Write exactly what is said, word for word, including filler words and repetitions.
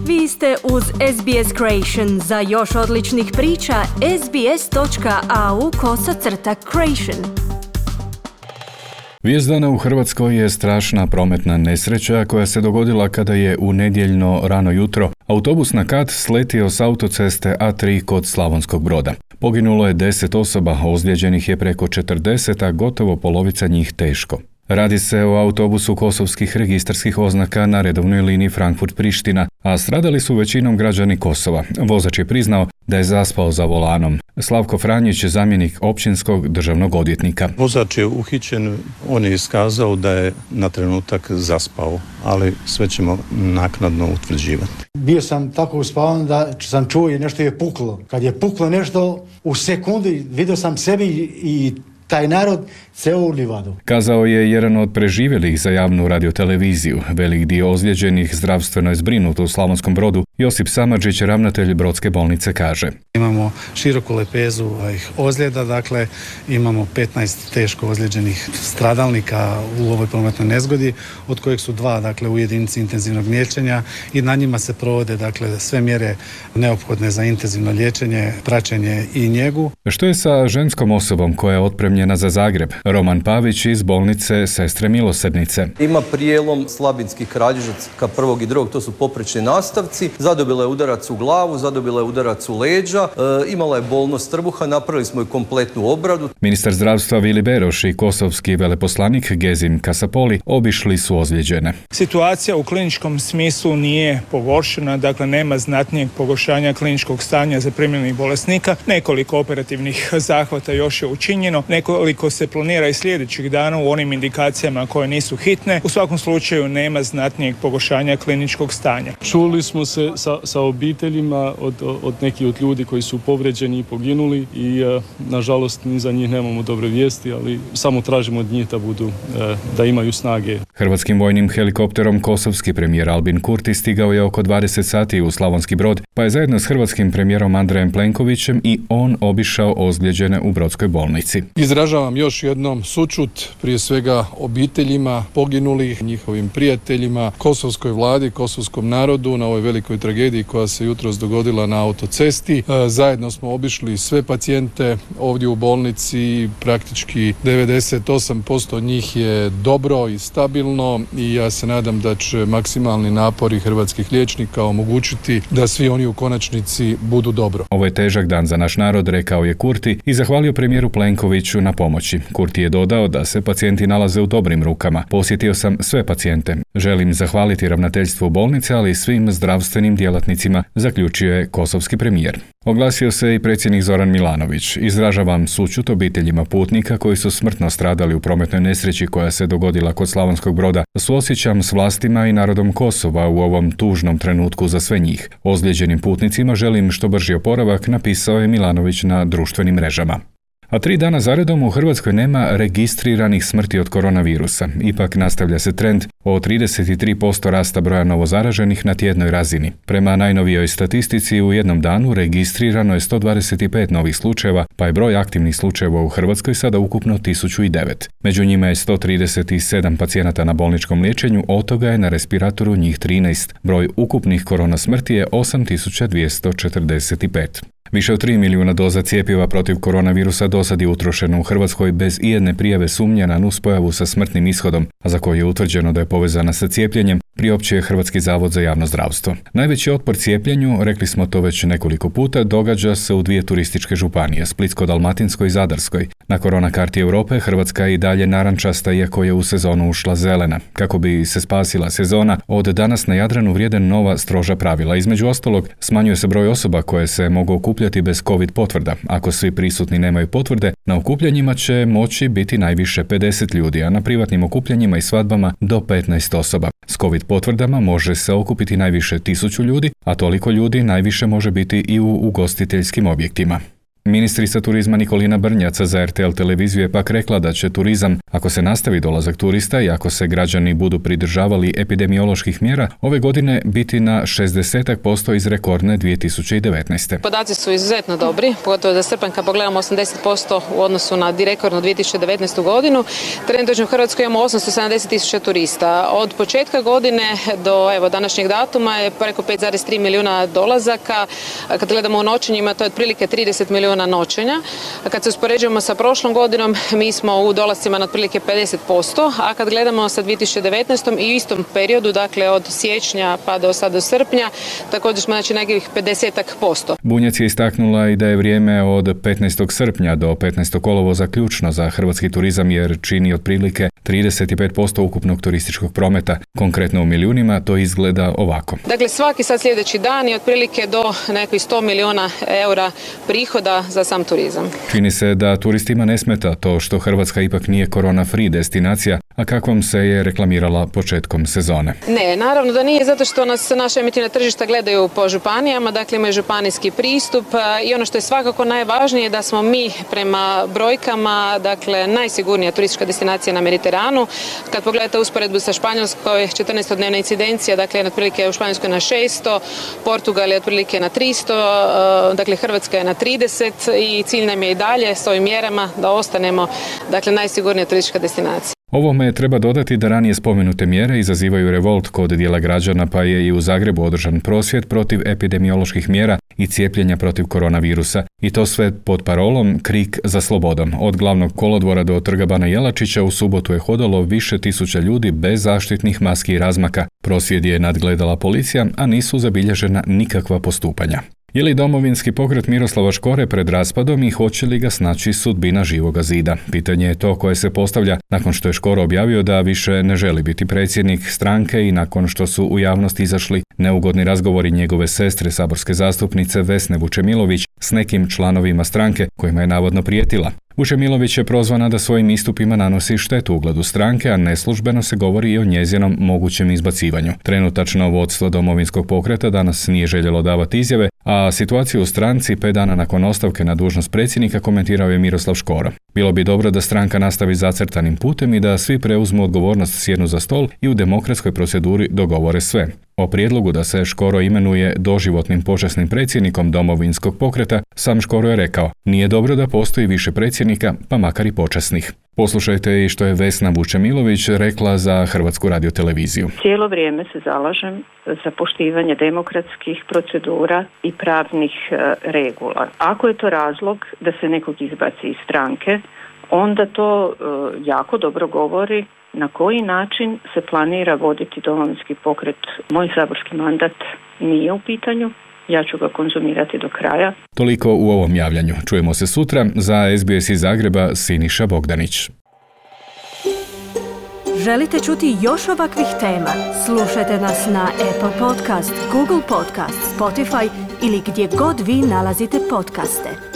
Vi ste uz S B S Creation. Za još odličnih priča, sbs.au kosacrta creation. Vijest dana u Hrvatskoj je strašna prometna nesreća koja se dogodila kada je u nedjeljno rano jutro autobus na kat sletio s autoceste A tri kod Slavonskog Broda. Poginulo je deset osoba, ozlijeđenih je preko četrdeset, a gotovo polovica njih teško. Radi se o autobusu kosovskih registarskih oznaka na redovnoj liniji Frankfurt-Priština, a stradali su većinom građani Kosova. Vozač je priznao da je zaspao za volanom. Slavko Franjić, zamjenik općinskog državnog odvjetnika. Vozač je uhićen, on je iskazao da je na trenutak zaspao, ali sve ćemo naknadno utvrđivati. Bio sam tako uspavan da sam čuo i nešto je puklo. Kad je puklo nešto, u sekundi vidio sam sebi i taj narod ceo u livadu. Kazao je jedan od preživjelih za javnu radioteleviziju. Velik dio ozlijeđenih zdravstveno je zbrinut u Slavonskom Brodu. Josip Samardžić, ravnatelj Brodske bolnice, kaže: Imamo široku lepezu ozljeda, dakle imamo petnaest teško ozlijeđenih stradalnika u ovoj prometnoj nezgodi, od kojih su dva dakle u jedinici intenzivnog liječenja i na njima se provode dakle sve mjere neophodne za intenzivno liječenje, praćenje i njegu. Što je sa ženskom osobom koja je otpremljena za Zagreb? Roman Pavić iz bolnice Sestre Milosrdnice. Ima prijelom slabinski kralježac ka prvog i drugog, to su poprečni nastavci. Zadobila je udarac u glavu, zadobila je udarac u leđa, e, imala je bolnost trbuha, napravili smo i kompletnu obradu. Ministar zdravstva Vili Beroš i kosovski veleposlanik Gezim Kasapoli obišli su ozlijeđene. Situacija u kliničkom smislu nije pogoršena, dakle nema znatnijeg pogoršanja kliničkog stanja zaprimljenih bolesnika. Nekoliko operativnih zahvata još je učinjeno, nekoliko se planira i sljedećih dana u onim indikacijama koje nisu hitne. U svakom slučaju nema znatnijeg pogoršanja kliničkog stanja. Čuli smo se sa, sa obiteljima od, od nekih od ljudi koji su povređeni i poginuli i e, nažalost ni za njih nemamo dobre vijesti, ali samo tražimo od njih da budu, e, da imaju snage. Hrvatskim vojnim helikopterom kosovski premijer Albin Kurti stigao je oko dvadeset sati u Slavonski Brod, pa je zajedno s hrvatskim premijerom Andrejem Plenkovićem i on obišao ozlijeđene u Brodskoj bolnici. Izražavam još jednom sućut prije svega obiteljima poginulih, njihovim prijateljima, kosovskoj vladi, kosovskom narodu na ovoj velikoj tragediji koja se jutros dogodila na autocesti. Zajedno smo obišli sve pacijente ovdje u bolnici, praktički devedeset osam posto njih je dobro i stabilno i ja se nadam da će maksimalni napori hrvatskih liječnika omogućiti da svi oni u konačnici budu dobro. Ovo je težak dan za naš narod, rekao je Kurti i zahvalio premijeru Plenkoviću na pomoći. Kurti je dodao da se pacijenti nalaze u dobrim rukama. Posjetio sam sve pacijente. Želim zahvaliti ravnateljstvu bolnice, ali i svim zdravstvenim djelatnicima, zaključio je kosovski premijer. Oglasio se i predsjednik Zoran Milanović. Izražavam sućut obiteljima putnika koji su smrtno stradali u prometnoj nesreći koja se dogodila kod Slavonskog Broda. Suosjećam s vlastima i narodom Kosova u ovom tužnom trenutku za sve njih. Ozlijeđenim putnicima želim što brži oporavak, napisao je Milanović na društvenim mrežama. A tri dana zaredom u Hrvatskoj nema registriranih smrti od koronavirusa. Ipak nastavlja se trend o trideset tri posto rasta broja novozaraženih na tjednoj razini. Prema najnovijoj statistici u jednom danu registrirano je sto dvadeset pet novih slučajeva, pa je broj aktivnih slučajeva u Hrvatskoj sada ukupno tisuću devet. Među njima je sto trideset sedam pacijenata na bolničkom liječenju, od toga je na respiratoru njih trinaest. Broj ukupnih korona smrti je osam tisuća dvjesto četrdeset pet. Više od tri milijuna doza cjepiva protiv koronavirusa dosad je utrošeno u Hrvatskoj bez ijedne prijave sumnje na nuspojavu sa smrtnim ishodom, a za koju je utvrđeno da je povezana sa cijepljenjem, priopćio je Hrvatski zavod za javno zdravstvo. Najveći otpor cijepljenju, rekli smo to već nekoliko puta, događa se u dvije turističke županije, Splitsko-dalmatinskoj i Zadarskoj. Na korona karti Europe Hrvatska je i dalje narančasta, iako je u sezonu ušla zelena. Kako bi se spasila sezona, od danas na Jadranu vrijede nova stroža pravila. Između ostalog, smanjuje se broj osoba koje se mogu okupljati bez covid potvrda. Ako svi prisutni nemaju potvrde, na okupljanjima će moći biti najviše pedeset ljudi, a na privatnim okupljanjima i svadbama do petnaest osoba. S covid potvrdama može se okupiti najviše tisuću ljudi, a toliko ljudi najviše može biti i u ugostiteljskim objektima. Ministrica turizma Nikolina Brnjac za R T L televiziju je pak rekla da će turizam, ako se nastavi dolazak turista i ako se građani budu pridržavali epidemioloških mjera, ove godine biti na šezdeset posto iz rekordne dvije tisuće devetnaeste. Podaci su izuzetno dobri, pogotovo za srpanj kad pogledamo osamdeset posto u odnosu na rekordnu dvije tisuće devetnaestu godinu. Trenutno u Hrvatskoj imamo osamsto sedamdeset tisuća turista. Od početka godine do evo, današnjeg datuma je preko pet zarez tri milijuna dolazaka. Kad gledamo u noćenjima, to je otprilike trideset milijuna noćenja. A kad se uspoređujemo sa prošlom godinom, mi smo u dolascima na otprilike pedeset posto, a kad gledamo sa dvije tisuće devetnaestom i u istom periodu, dakle od siječnja pa do sada do srpnja, također smo znači nekih pedeset posto. Bunjac je istaknula i da je vrijeme od petnaestog srpnja do petnaestog kolovoza ključno za hrvatski turizam jer čini otprilike trideset pet posto ukupnog turističkog prometa. Konkretno u milijunima to izgleda ovako. Dakle, svaki sad sljedeći dan je otprilike do nekih sto milijuna eura prihoda za sam turizam. Čini se da turistima ne smeta to što Hrvatska ipak nije korona-free destinacija, a kakvom se je reklamirala početkom sezone. Ne, naravno da nije, zato što nas naša emitivna tržišta gledaju po županijama, dakle imaju županijski pristup i ono što je svakako najvažnije da smo mi prema brojkama, dakle najsigurnija turistička destinacija na Mediteranu. Kad pogledate usporedbu sa Španjolskoj, četrnaestodnevna incidencija, dakle otprilike u Španjolskoj na šesto, Portugal je otprilike na tristo, dakle Hrvatska je na trideset i cilj nam je i dalje s ovim mjerama da ostanemo dakle najsigurnija turistička destinacija. Ovome treba dodati da ranije spomenute mjere izazivaju revolt kod dijela građana, pa je i u Zagrebu održan prosvjed protiv epidemioloških mjera i cijepljenja protiv koronavirusa. I to sve pod parolom Krik za slobodom. Od glavnog kolodvora do Trga Bana Jelačića u subotu je hodalo više tisuća ljudi bez zaštitnih maski i razmaka. Prosvjed je nadgledala policija, a nisu zabilježena nikakva postupanja. Je li Domovinski pokret Miroslava Škore pred raspadom i hoće li ga snaći sudbina Živoga zida? Pitanje je to koje se postavlja nakon što je Škoro objavio da više ne želi biti predsjednik stranke i nakon što su u javnosti izašli neugodni razgovori njegove sestre, saborske zastupnice Vesne Vučemilović s nekim članovima stranke kojima je navodno prijetila. Vučemilović je prozvana da svojim istupima nanosi štetu ugledu stranke, a neslužbeno se govori i o njezinom mogućem izbacivanju. Trenutačno vodstvo Domovinskog pokreta danas nije željelo davati izjave, a situaciju u stranci pet dana nakon ostavke na dužnost predsjednika komentirao je Miroslav Škoro. Bilo bi dobro da stranka nastavi zacrtanim putem i da svi preuzmu odgovornost, sjednu za stol i u demokratskoj proceduri dogovore sve. O prijedlogu da se Škoro imenuje doživotnim počasnim predsjednikom Domovinskog pokreta, sam Škoro je rekao: nije dobro da postoji više predsjednika, pa makar i počasnih. Poslušajte i što je Vesna Vučemilović rekla za Hrvatsku radioteleviziju. Cijelo vrijeme se zalažem za poštivanje demokratskih procedura i pravnih e, regula. Ako je to razlog da se nekog izbaci iz stranke, onda to e, jako dobro govori na koji način se planira voditi Domovinski pokret. Moj saborski mandat nije u pitanju. Ja ću ga konzumirati do kraja. Toliko u ovom javljanju. Čujemo se sutra. Za S B S iz Zagreba, Siniša Bogdanić. Želite čuti još ovakvih tema? Slušajte nas na Apple Podcast, Google Podcast, Spotify ili gdje god vi nalazite podcaste.